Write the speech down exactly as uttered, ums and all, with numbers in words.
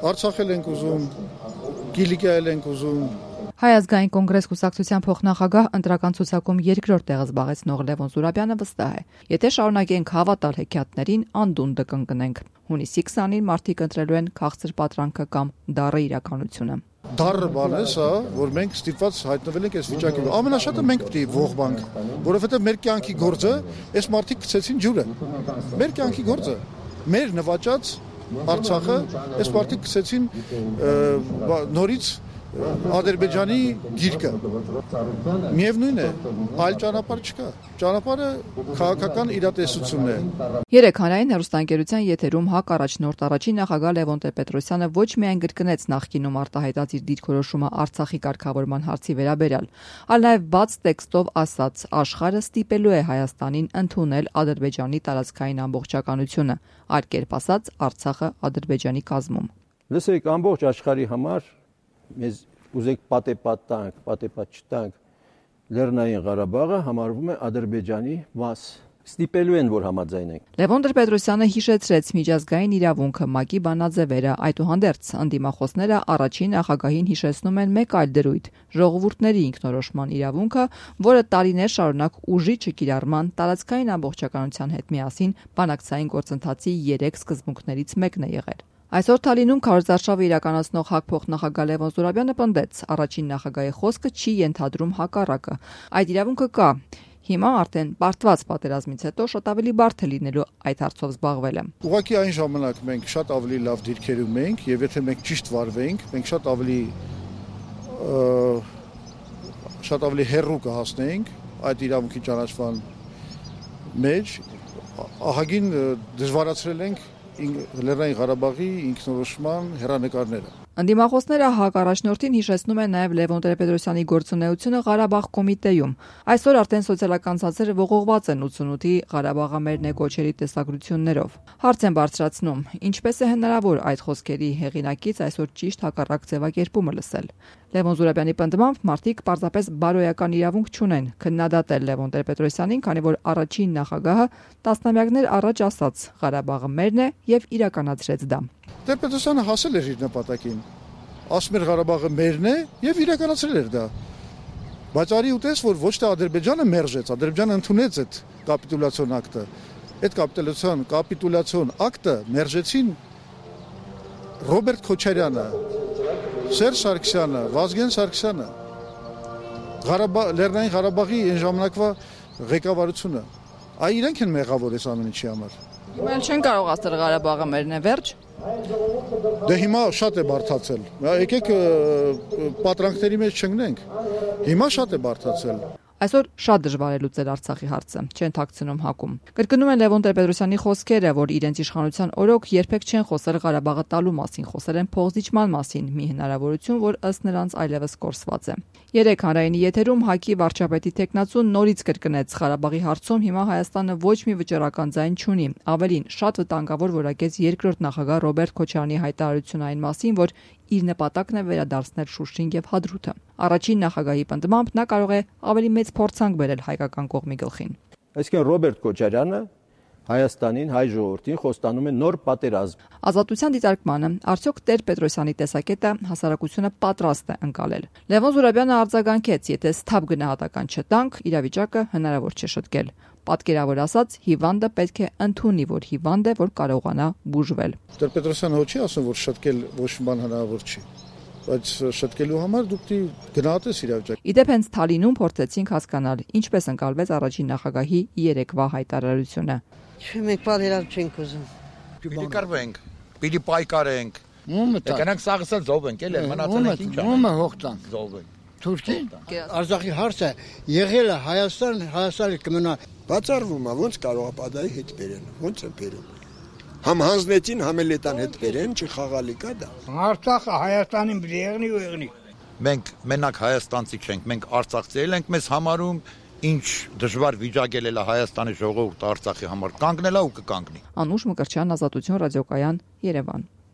Արցախել ենք ուզում, Կիլիկիայել ենք ուզում։ Հայ ազգային կոնգրես կուսակցության փոխնախագահ ընտրական ցուցակում երկրորդ տեղը զբաղեցնող Լևոն Զուրաբյանը վստահ է. եթե շարունակենք հավատալ հեքիաթներին, անդունդը կընկնենք։ Հունիսի քսանին մարդիկ ընտրելու են քաղցր պատրանքը կամ դառը իրականությունը։ Դառը բան է սա, որ մենք ստիպված հայտնվել ենք այս վիճակում։ Ամենաշատը մենք պետք է ողբանք, որովհետև մեր կյանքի գործը այս մարդիկ գցեցին ջուրը։ Մեր կյանքի գործը, մեր նվաճած Արցախը այս մարդիկ գցեցին նորից Ադրբեջանի գիրկը։ Միևնույն է, այլ ճանապարհ չկա։ Ճանապարհը քաղաքական իրատեսությունն է։ Երեք հանրային հեռուստաընկերության եթերում ՀԱԿ առաջնորդ առաջին նախագահ Լևոն Տեր-Պետրոսյանը ոչ միայն կրկնեց նախկինում արտահայտած իր դիրքորոշումը Արցախի կարգավորման հարցի վերաբերյալ, այլ նաև բաց տեքստով ասաց. աշխարհը ստիպելու է Հայաստանին ընդունել Ադրբեջանի տարածքային ամբողջականությունը, այլ կերպ ասած Արցախը Ադրբեջանի կազմում։ Լսեք, ամբողջ աշխարհի համար մեզ ուզեք պատեպատ տանք, պատեպատ չտանք, Լեռնային Ղարաբաղը համարվում է Ադրբեջանի մաս։ Ստիպելու են, որ համաձայնենք։ Լևոն Տեր-Պետրոսյանը հիշեցրեց միջազգային իրավունքը, ՄԱԿ-ի բանաձևերը, այդուհանդերձ ընդդիմախոսները առաջին նախագահին հիշեցնում են մեկ այլ դրույթ՝ ժողովուրդների ինքնորոշման իրավունքը, որը տարիներ շարունակ ուժի չկիրառման, տարածքային ամբողջականության հետ միասին բանակցային գործընթացի երեք սկզբունքներից մեկն է եղել։ Այսօր Թալինում քարոզարշավը իրականացնող ՀԱԿ փոխնախագահ Լևոն Զուրաբյանը պնդեց. առաջին նախագահի խոսքը չի ենթադրում հակառակը։ Այդ իրավունքը կա։ Հիմա արդեն բարդված պատերազմից հետո շատ ավելի բարդ է լինելու այդ հարցով զբաղվելը։ Ուղղակի այն ժամանակ մենք շատ ավելի լավ դիրքերում ենք, եւ եթե մենք ճիշտ վարվենք, մենք շատ ավելի շատ ավելի հեռու կհասնենք այդ իրավունքի ճանաչման մեջ, ահագին դժվարացրել ենք Լեռնային Ղարաբաղի ինքնորոշման հեռանկարները։ Ընդդիմախոսները ՀԱԿ առաջնորդին հիշեցնում են նաև Լևոն Տեր-Պետրոսյանի գործունեությունը Ղարաբաղ կոմիտեում։ Այսօր արդեն սոցիալական ցանցերը ողողված են ութսունութի Ղարաբաղը մերն է կոչերի տեսագրություններով։ Հարց են բարձրացնում. ինչպես է հնարավոր այդ խոսքերի հեղինակից այսօր ճիշտ հակառակ ձևակերպումը լսել։ Լևոն Զուրաբյանի պնդմամբ մարդիկ պարզապես բարոյական իրավունք չունեն քննադատել Լևոն Տեր-Պետրոսյանին, քանի որ առաջին նախագահը տասնամյակներ առաջ ասաց. Ղարաբաղը մերն է եւ իրականացրեց դա։ Տեր-Պետրոսյանը հասել էր իր նպատակին։ Ասում էր Ղարաբաղը մերն է եւ իրականացրել էր դա։ Բայց արի ուտես, որ ոչ թե Ադրբեջանը մերժեց, Ադրբեջանը ընդունեց այդ կապիտուլյացիոն ակտը։ Այդ կապիտուլյացիոն կապիտուլյացիոն ակտը մերժեցին Ռոբերտ Քոչարյանը, Սերժ Սարգսյանը, Վազգեն Սարգսյանը, Ղարաբաղ Լեռնային Ղարաբաղի այն ժամանակվա ղեկավարությունը։ Այ իրենք են մեղավոր այս ամեն ինչի համար։ Հիմա չեն կարող ասել Ղարաբաղը մերն է, վերջ։ Դե հիմա շատ է բարդացել։ Եկեք պատրանքների մեջ չընկնենք։ Հիմա շատ է բարդացել։ Այսօր շատ դժվար է լուծել Արցախի հարցը, չեն թաքցնում ՀԱԿ-ում։ Կրկնում են Լևոն Տեր-Պետրոսյանի խոսքերը, որ իրենց իշխանության օրոք երբեք չեն խոսել Ղարաբաղը տալու մասին, խոսել են փոխզիջման մասին, մի հնարավորություն, որ ըստ նրանց այլևս կորսված է։ Երեք հանրայինի եթերում ՀԱԿ-ի վարչապետի տեխնացուն նորից կրկնեց. Ղարաբաղի հարցում հիմա Հայաստանը ոչ մի վճռական ձայն չունի։ Ավելին, շատ վտանգավոր որակեց երկրորդ նախագահ Ռոբերտ Քոչարյանի հայտարարությունը այն մասին, որ իր նպատակն է վերադարձնել Շուշին եւ Հադրութը։ Առաջին նախագահի պնդմամբ նա կարող է ավելի մեծ փորձանք բերել հայկական կողմի գլխին։ Այսինքն Ռոբերտ Քոչարյանը Հայաստանին, հայ ժողովրդին խոստանում է նոր պատերազմ։ Ազատության դիտարկմանը արդյոք Տեր-Պետրոսյանի տեսակետը հասարակությունը պատրաստ է ընկալել։ Լևոն Զուրաբյանը արձագանքեց, եթե սթափ գնահատական չտանք, իրավիճակը հնարավոր չէ շտկել։ Պատկերավոր ասած, հիվանդը պետք է ընդունի, որ հիվանդ է, որ կարողանա բուժվել։ Տեր-Պետրոսյանը ոչ չի ասում, որ շտկել ոչ մի բան հնարավոր չի, բայց շտկելու համար դուք գնահատես իրավիճակը։ Իդեպ հենց Թալինում փորձեցինք հասկանալ, ինչպես ընկալվեց առաջին նախագահի երեկվա հայտարարությունը։ Մենք պատերազմ չենք ուզում։ Պիտի կռվենք, պիտի պայքարենք։ Եկանք սաղսել զոհվենք, էլ մնացել ենք ինչ անենք։ Ումը հողտան։ Զոհվենք։ Թուրքի Արցախի հարցը եղել է Հայաստան, Հայաստանը կմնա։ Բացառվում է, ոնց կարող է պատահի հետ բերեն, ոնց է բերում։ Համ հանձնեցին, համ էլ էտան հետ բերեն, չխաղալի կա դա։ Արցախը Հայաստանին բրի եղնի ու եղնի։ Մենք մենակ հայաստանցի չենք, մենք արցախցիներ ենք, մեզ համարում ինչ դժվար վիճակել է Հայաստանի ժողովուրդը Արցախի համար, կանգնել է ու կկանգնի։ Անուշ Մկրտչյան, Ազատություն ռադիոկայան, Երևան։